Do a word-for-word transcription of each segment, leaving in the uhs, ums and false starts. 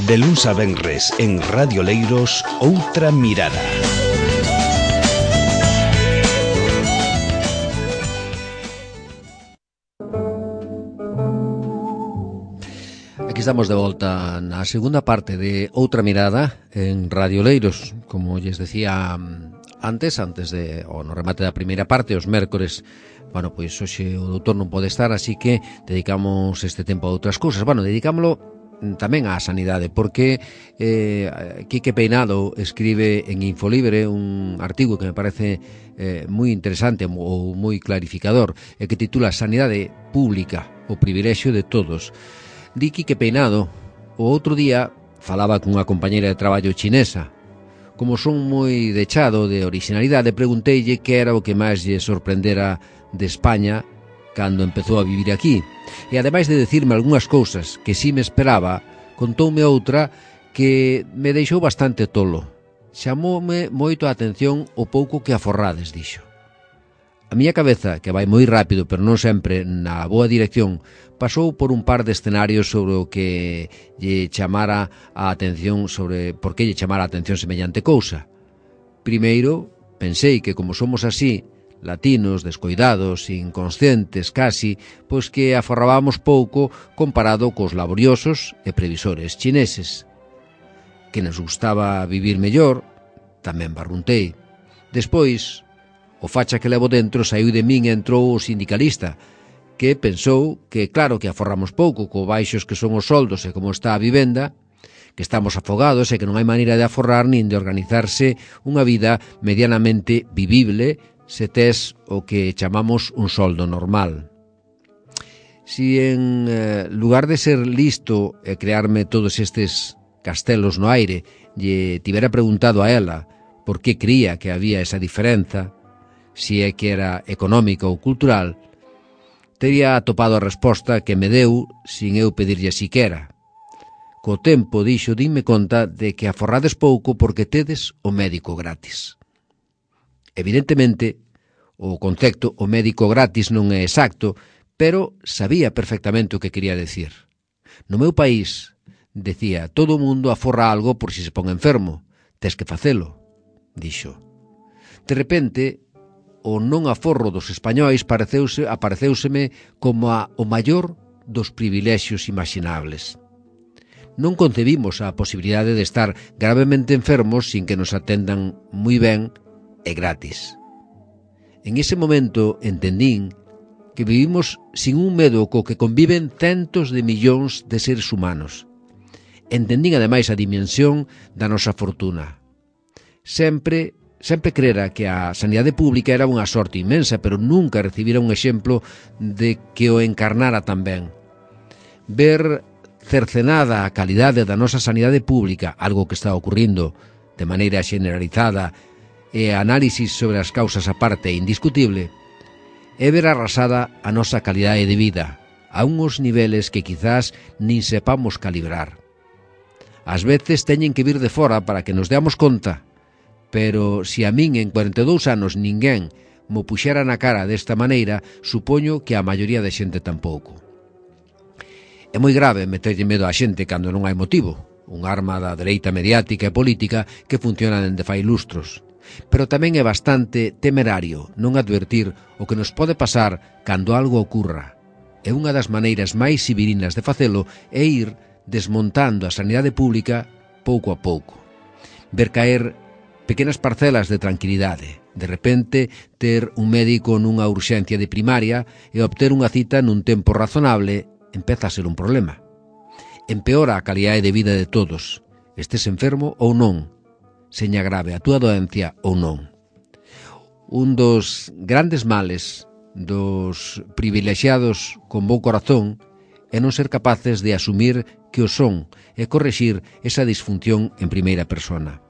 De luns a venres en Radio Leiros, Outra Mirada. Aquí estamos de volta na segunda parte de Outra Mirada en Radio Leiros. Como lles decía antes, antes de, o no remate da primeira parte, os mércores, bueno, pois hoxe o doutor non pode estar, así que dedicamos este tempo a outras cousas. Bueno, dedicámoslo tamén á sanidade, porque eh, Quique Peinado escribe en Infolibre un artigo que me parece eh, moi interesante ou moi clarificador, e que titula Sanidade Pública, o privilexio de todos. Di Quique Peinado, o outro día falaba cunha compañeira de traballo chinesa. Como son moi dechado de originalidade, pregunteille que era o que máis lle sorprendera de España cando empezou a vivir aquí. E ademais de decirme algunhas cousas que si me esperaba, contoume outra que me deixou bastante tolo. Chamoume moito a atención o pouco que aforrades, dixo. A miña cabeza, que vai moi rápido, pero non sempre na boa dirección, pasou por un par de escenarios sobre o que lle chamara a atención, sobre por que lle chamara a atención semellante cousa. Primeiro, pensei que como somos así, latinos, descoidados, inconscientes casi, pois que aforrábamos pouco comparado cos laboriosos e previsores chineses. Que nos gustaba vivir mellor, tamén barruntei. Despois, o facha que levo dentro saiu de min e entrou o sindicalista, que pensou que claro que aforramos pouco co baixos que son os soldos e como está a vivenda, que estamos afogados e que non hai maneira de aforrar nin de organizarse unha vida medianamente vivible se tes o que chamamos un soldo normal. Si en eh, lugar de ser listo e crearme todos estes castelos no aire, lle tivera preguntado a ela por que cría que había esa diferenza, si é que era económica ou cultural, teria atopado a resposta que me deu sin eu pedirlle siquera. Co tempo, dixo, dime conta de que aforrades pouco porque tedes o médico gratis. Evidentemente, o concepto o médico gratis non é exacto, pero sabía perfectamente o que quería decir. No meu país, decía, todo o mundo aforra algo por si se pon enfermo. Tes que facelo, dixo. De repente, o non aforro dos españois pareceuse, apareceuseme como a, o maior dos privilexios imaginables. Non concebimos a posibilidade de estar gravemente enfermos sin que nos atendan moi ben e gratis. En ese momento entendín que vivimos sin un medo co que conviven centos de millóns de seres humanos. Entendín ademais a dimensión da nosa fortuna. Sempre, sempre crera que a sanidade pública era unha sorte inmensa, pero nunca recibira un exemplo de que o encarnara tan ben. Ver cercenada a calidade da nosa sanidade pública, algo que está ocurrindo de maneira generalizada, e análisis sobre as causas aparte e indiscutible, é ver arrasada a nosa calidade de vida a uns niveles que quizás nin sepamos calibrar. Ás veces teñen que vir de fora para que nos deamos conta, pero se a min en cuarenta e dous anos ninguén mo puxera na cara desta maneira, supoño que a maioría de xente tampouco. É moi grave meterlle medo á xente cando non hai motivo, un arma da dereita mediática e política que funciona dende fai lustros. Pero tamén é bastante temerario non advertir o que nos pode pasar cando algo ocurra. E unha das maneiras máis sibirinas de facelo é ir desmontando a sanidade pública pouco a pouco. Ver caer pequenas parcelas de tranquilidade. De repente, ter un médico nunha urxencia de primaria e obter unha cita nun tempo razonable empeza a ser un problema. Empeora a calidade de vida de todos, estés enfermo ou non, seña grave a túa doencia ou non. Un dos grandes males dos privilexiados con bo corazón é non ser capaces de asumir que o son e correxir esa disfunción en primeira persona.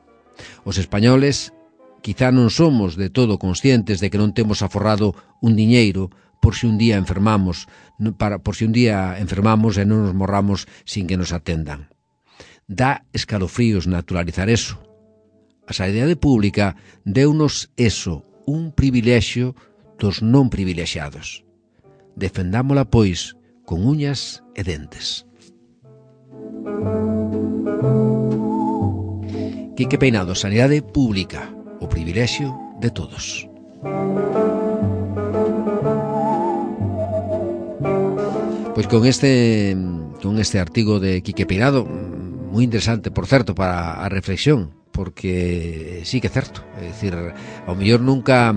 Os españoles quizá non somos de todo conscientes de que non temos aforrado un diñeiro por si un día enfermamos, para, por si un día enfermamos e non nos morramos sin que nos atendan. Dá escalofríos naturalizar eso. A sanidade pública deunos eso, un privilexio dos non privilexiados. Defendámola, pois, con uñas e dentes. Quique Peinado, sanidade pública, o privilexio de todos. Pois con este con este artigo de Quique Peinado, moi interesante, por certo, para a reflexión, porque sí que é certo, é dicir, ao mellor nunca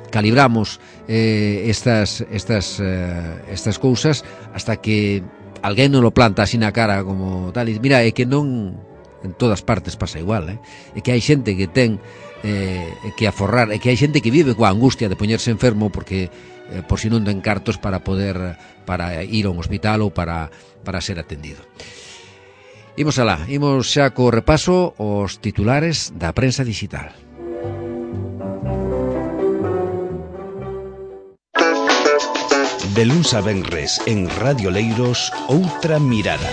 calibramos eh, estas estas eh, estas cousas hasta que alguén non lo planta así na cara como tal, e mira, é que non en todas partes pasa igual, eh? É que hai xente que ten eh, que aforrar, é que hai xente que vive coa angustia de poñerse enfermo porque eh, por si non ten cartos para poder para ir a un hospital ou para, para ser atendido. Imos alá, imos xa co repaso os titulares da prensa digital. De luns a venres en Radio Leiros, Outra Mirada.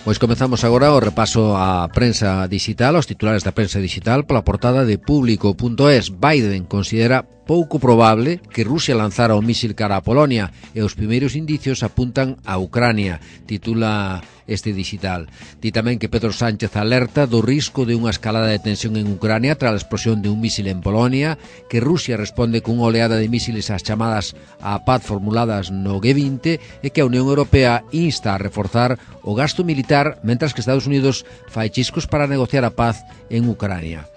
Pois comezamos agora o repaso á prensa digital, aos titulares da prensa digital, pola portada de Público punto es. Biden considera pouco probable que Rusia lanzara o mísil cara a Polonia e os primeiros indicios apuntan a Ucrania, titula este digital. Di tamén que Pedro Sánchez alerta do risco de unha escalada de tensión en Ucrania tras a explosión de un mísil en Polonia, que Rusia responde cunha oleada de mísiles ás chamadas á paz formuladas no G vinte e que a Unión Europea insta a reforzar o gasto militar mentras que Estados Unidos fai chiscos para negociar a paz en Ucrania.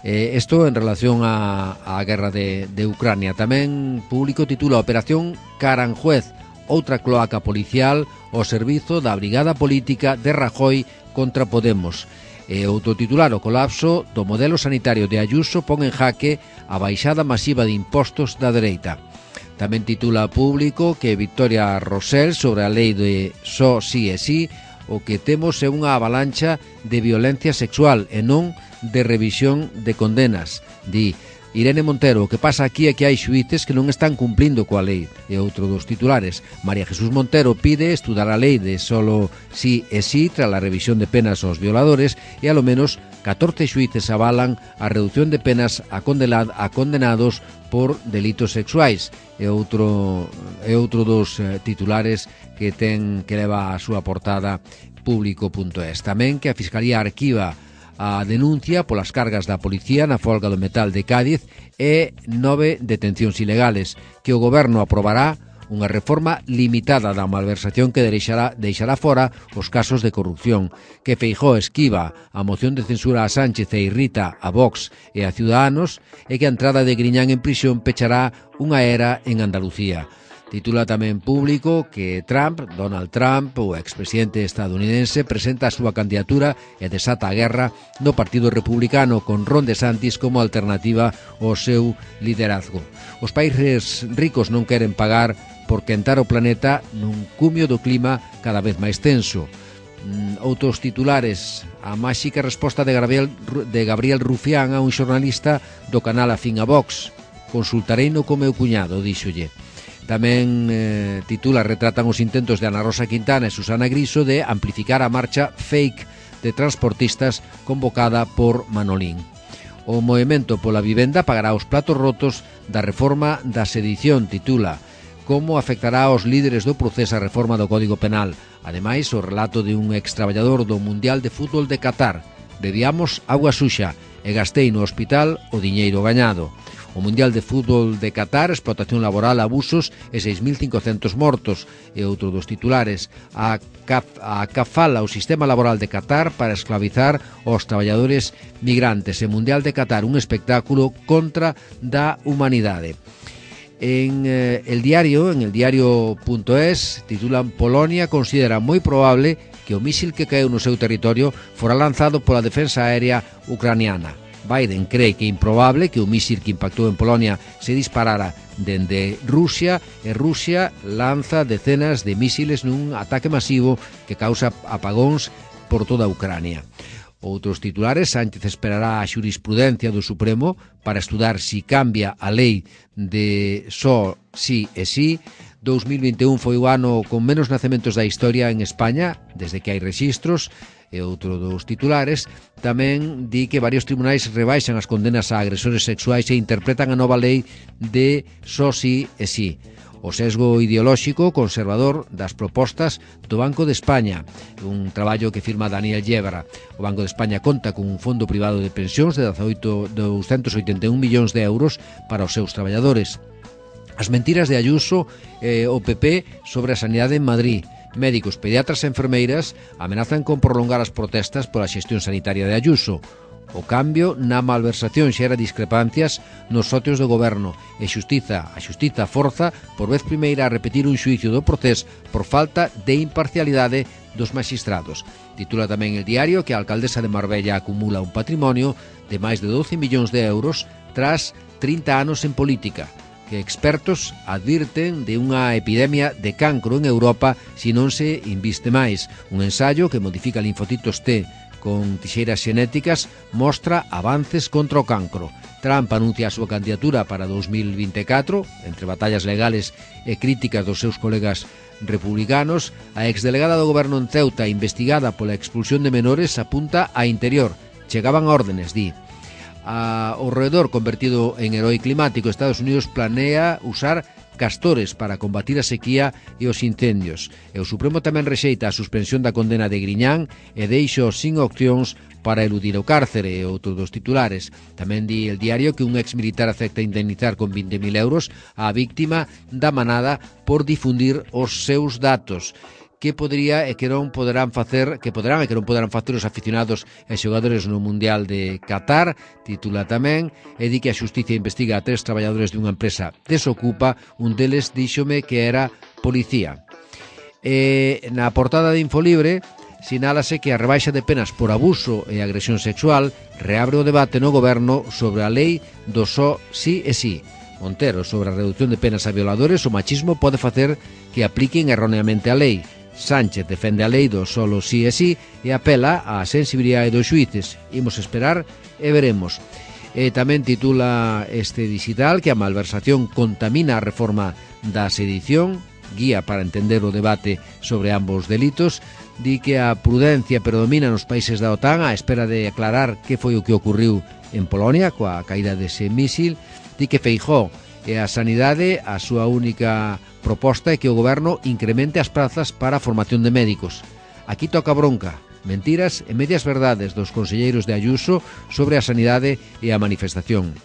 Eh, esto en relación á, á guerra de, de Ucrania. Tamén Público titula Operación Caranjuez, outra cloaca policial ao servizo da Brigada Política de Rajoy contra Podemos. E outro titular, o colapso do modelo sanitario de Ayuso pon en jaque a baixada masiva de impostos da dereita. Tamén titula Público que Victoria Rosell sobre a lei de só sí e sí, o que temos é unha avalancha de violencia sexual e non de revisión de condenas. Di Irene Montero, o que pasa aquí é que hai xuíces que non están cumplindo coa lei. E outro dos titulares, María Jesús Montero pide estudar a lei de solo sí e sí tras a revisión de penas aos violadores e alo menos catorce xuíces avalan a reducción de penas a, condenad, a condenados por delitos sexuais. E outro, e outro dos eh, titulares que ten que leva a súa portada Público punto es. Tamén que a Fiscalía arquiva a denuncia polas cargas da policía na folga do metal de Cádiz e nove detencións ilegales, que o goberno aprobará unha reforma limitada da malversación que deixará, deixará fora os casos de corrupción, que Feijóo esquiva a moción de censura a Sánchez e irrita a Vox e a Ciudadanos, e que a entrada de Griñán en prisión pechará unha era en Andalucía. Titula tamén Público que Trump, Donald Trump, o expresidente estadounidense, presenta a súa candidatura e desata a guerra no Partido Republicano con Ron DeSantis como alternativa ao seu liderazgo. Os países ricos non queren pagar por quentar o planeta nun cumio do clima cada vez máis tenso. Outros titulares, a máxica resposta de Gabriel, de Gabriel Rufián a un xornalista do canal afín a Vox. Consultareino co meu cuñado, díxolle. Tamén eh, titula retratan os intentos de Ana Rosa Quintana e Susana Griso de amplificar a marcha fake de transportistas convocada por Manolín. O movemento pola vivenda pagará os platos rotos da reforma da sedición, titula como afectará aos líderes do proceso a reforma do Código Penal. Ademais, o relato de un extraballador do Mundial de Fútbol de Qatar. Bebiamos agua suxa e gastei no hospital o diñeiro gañado. O Mundial de Fútbol de Qatar, explotación laboral, abusos e seis mil cincocentos mortos. E outro dos titulares, a, caf, a cafala o sistema laboral de Qatar para esclavizar os traballadores migrantes. E Mundial de Qatar, un espectáculo contra da humanidade. En eh, el diario, en el diario punto es, titulan Polonia considera moi probable que o mísil que caeu no seu territorio fora lanzado pola defensa aérea ucraniana. Biden cree que é improbable que o mísil que impactou en Polonia se disparara dende Rusia e Rusia lanza decenas de mísiles nun ataque masivo que causa apagóns por toda Ucrania. Outros titulares, Sánchez esperará a xurisprudencia do Supremo para estudar si cambia a lei de só sí e sí. dous mil vinte e un foi o ano con menos nacementos da historia en España, desde que hai rexistros. E outro dos titulares tamén di que varios tribunais rebaixan as condenas a agresores sexuais e interpretan a nova lei de só sí e sí. O sesgo ideolóxico conservador das propostas do Banco de España, un traballo que firma Daniel Yebra. O Banco de España conta con un fondo privado de pensións de douscentos oitenta e un millóns de euros para os seus traballadores. As mentiras de Ayuso e o P P sobre a sanidade en Madrid. Médicos, pediatras e enfermeiras amenazan con prolongar as protestas pola xestión sanitaria de Ayuso. O cambio na malversación xera discrepancias nos socios do goberno e xustiza, a xustiza forza por vez primeira a repetir un xuicio do Procés por falta de imparcialidade dos magistrados. Titula tamén el diario que a alcaldesa de Marbella acumula un patrimonio de máis de doce millóns de euros tras trinta anos en política, que expertos advirten de unha epidemia de cancro en Europa se non se inviste máis. Un ensayo que modifica linfocitos T con tixeiras xenéticas mostra avances contra o cancro. Trump anuncia a súa candidatura para dos mil vinte e catro, entre batallas legales e críticas dos seus colegas republicanos. A exdelegada do goberno en Ceuta, investigada pola expulsión de menores, apunta a Interior. Chegaban órdenes, di. A, o roedor convertido en herói climático, Estados Unidos planea usar castores para combatir a sequía e os incendios. E o Supremo tamén rexeita a suspensión da condena de Griñán e deixa sin opcións para eludir o cárcere e outro dos titulares. Tamén di el diario que un exmilitar acepta indemnizar con vinte mil euros á víctima da manada por difundir os seus datos. Que podría e que non poderán facer, que poderán e que non poderán facer os aficionados e xogadores no Mundial de Qatar, titula tamén, e di que a xustiza investiga a tres traballadores dunha empresa desocupa, un deles díxome que era policía. E na portada de Infolibre sinálase que a rebaixa de penas por abuso e agresión sexual reabre o debate no goberno sobre a lei do só sí e sí. Montero, sobre a reducción de penas a violadores, o machismo pode facer que apliquen erróneamente a lei. Sánchez defende a lei do solo sí e sí e apela á sensibilidade dos xuíces. Imos esperar e veremos. E tamén titula este digital que a malversación contamina a reforma da sedición, guía para entender o debate sobre ambos delitos. Di que a prudencia predomina nos países da OTAN á espera de aclarar que foi o que ocurriu en Polonia coa caída dese mísil. Di que Feijóo e a sanidade a súa única proposta é que o goberno incremente as prazas para a formación de médicos. Aquí toca bronca, mentiras e medias verdades dos conselleiros de Ayuso sobre a sanidade e a manifestación.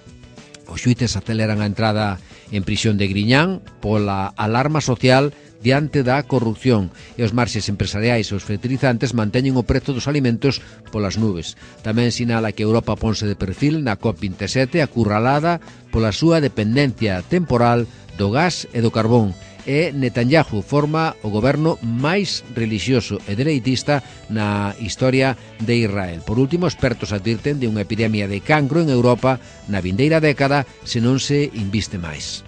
Os xuíces aceleran a entrada en prisión de Griñán pola alarma social diante da corrupción e os marxes empresariais e os fertilizantes manteñen o prezo dos alimentos polas nubes. Tamén sinala que Europa ponse de perfil na COP vinte e sete acurralada pola súa dependencia temporal do gas e do carbón. E Netanyahu forma o goberno máis relixioso e dereitista na historia de Israel. Por último, expertos advirten de unha epidemia de cancro en Europa na vindeira década se non se inviste máis.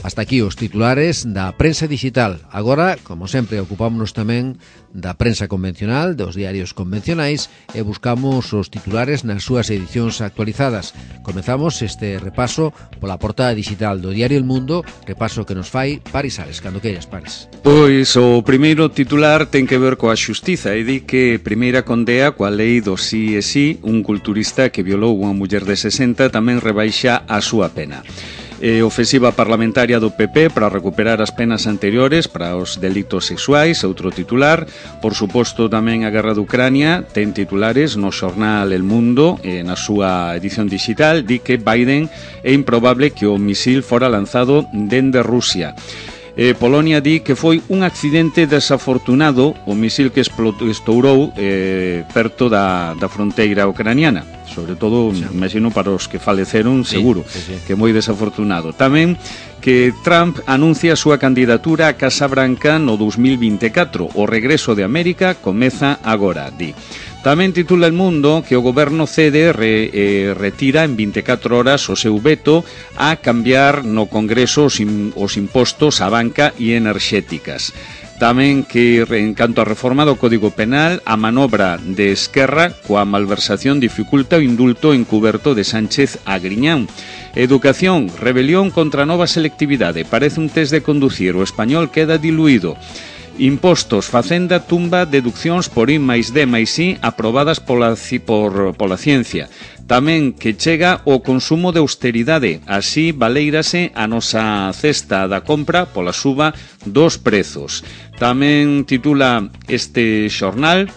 Hasta aquí os titulares da prensa digital. Agora, como sempre, ocupámonos tamén da prensa convencional, dos diarios convencionais, e buscamos os titulares nas súas edicións actualizadas. Comezamos este repaso pola portada digital do diario El Mundo, repaso que nos fai Paris Ares. Cando queiras, Paris. Pois o primeiro titular ten que ver coa xustiza e di que primeira condea coa lei do sí e sí, un culturista que violou unha muller de sesenta tamén rebaixa a súa pena. E ofensiva parlamentaria do P P para recuperar as penas anteriores para os delitos sexuais, outro titular. Por suposto, tamén a guerra de Ucrania ten titulares no xornal El Mundo, e na súa edición digital di que Biden é improbable que o misil fora lanzado dende Rusia. Eh, Polonia di que foi un accidente desafortunado o misil que estourou eh, perto da, da fronteira ucraniana. Sobre todo, sí. Imagino para os que faleceron, seguro, sí, sí, sí. Que moi desafortunado. Tamén que Trump anuncia a súa candidatura a Casa Branca no dos mil vinte e catro. O regreso de América comeza agora, di. Tamén titula El Mundo que o goberno cede re, eh, retira en vinte e catro horas o seu veto a cambiar no Congreso os, im, os impostos á banca e enerxéticas. Tamén que, en canto a reforma do Código Penal, a manobra de Esquerra coa malversación dificulta o indulto encuberto de Sánchez a Griñán. Educación, rebelión contra a nova selectividade. Parece un test de conducir, o español queda diluído. Impostos, Facenda tumba deduccións por I máis D máis I aprobadas pola, por, pola ciencia. Tamén que chega o consumo de austeridade, así valeírase a nosa cesta da compra pola suba dos prezos. Tamén titula este xornal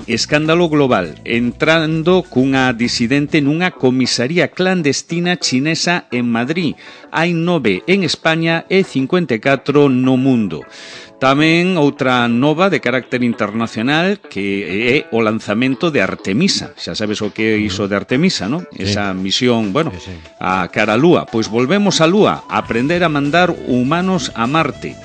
Escándalo global, entrando cunha disidente nunha comisaría clandestina chinesa en Madrid. Hai nove en España e cincuenta e catro no mundo. Tamén outra nova de carácter internacional que é o lanzamento de Artemisa. Xa sabes o que é iso de Artemisa, non? Sí. Esa misión, bueno, sí, sí. a cara a Lúa. Pois volvemos a Lúa, a aprender a mandar humanos a Marte.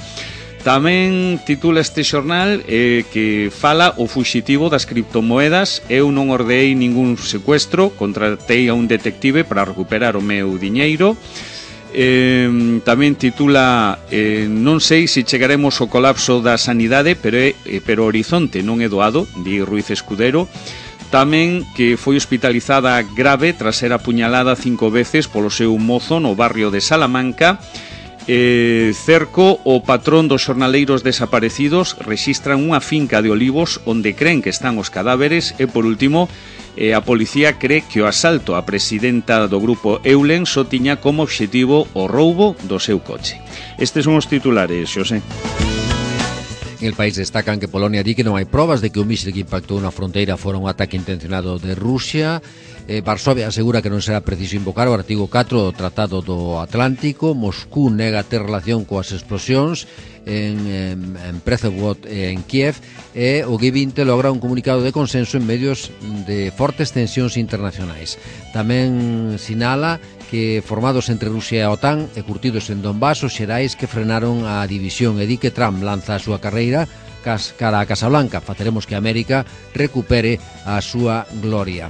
Tamén titula este xornal eh, que fala o fuxitivo das criptomoedas. Eu non ordeei ningún secuestro, contratei a un detective para recuperar o meu diñeiro. Eh, tamén titula eh, non sei se chegaremos ao colapso da sanidade, pero, é, eh, pero horizonte non é doado, di Ruiz Escudero. Tamén que foi hospitalizada grave tras ser apuñalada cinco veces polo seu mozo no barrio de Salamanca. Eh, cerco, o patrón dos xornaleiros desaparecidos, rexistran unha finca de olivos onde creen que están os cadáveres. E por último, eh, a policía cree que o asalto á presidenta do grupo Eulen só tiña como obxectivo o roubo do seu coche. Estes son os titulares, Xosé. En el país destacan que Polonia di que non hai probas de que o mísil que impactou na fronteira fora un ataque intencionado de Rusia. Eh, Varsovia asegura que non será preciso invocar o artigo catro do Tratado do Atlántico. Moscú nega ter relación coas explosións en, en, en Prešov e en Kiev. E o G vinte logra un comunicado de consenso en medios de fortes tensións internacionais. Tamén sinala que formados entre Rusia e a OTAN e curtidos en Donbass, os xerais que frenaron a división, e di que Trump lanza a súa carreira cara a Casablanca. Faceremos que América recupere a súa gloria.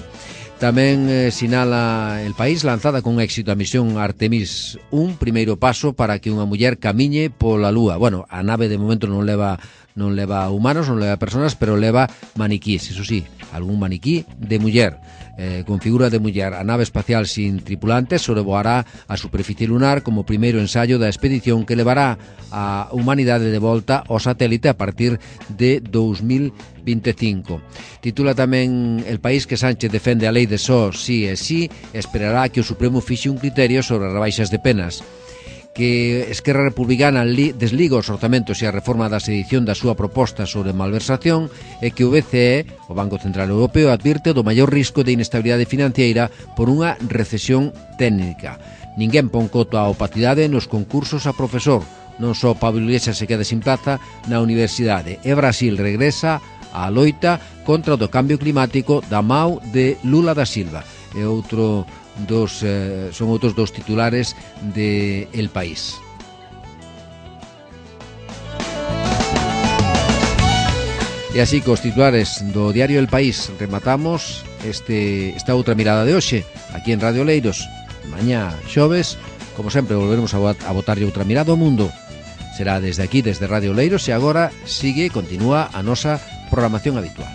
Tamén eh, sinala el país lanzada con éxito a misión Artemis un, primeiro paso para que unha muller camiñe pola Lúa. Bueno, a nave de momento non leva non leva humanos, non leva personas, pero leva maniquís, eso sí, algún maniquí de muller, eh, con figura de muller. A nave espacial sin tripulantes sobrevoará a superficie lunar como primeiro ensayo da expedición que levará a humanidade de volta ao satélite a partir de dous mil vinte e cinco. Titula tamén el país que Sánchez defende a lei de só sí e sí, esperará que o Supremo fixe un criterio sobre as rebaixas de penas. Que Esquerra Republicana desliga os orzamentos e a reforma da sedición da súa proposta sobre malversación, e que o B C E, o Banco Central Europeo, advirte do maior risco de inestabilidade financiera por unha recesión técnica. Ninguén pon coto á opacidade nos concursos a profesor. Non só Pablo Iglesias se queda sin plaza na universidade, e Brasil regresa á loita contra o do cambio climático da mao de Lula da Silva. E outro dos, eh, son outros dos titulares de El País. E así cos titulares do diario El País rematamos este, esta outra mirada de hoxe aquí en Radio Leiros. Mañá xoves, como sempre, volveremos a, a botarlle outra mirada ao mundo. Será desde aquí, desde Radio Leiros, e agora sigue, continúa a nosa programación habitual.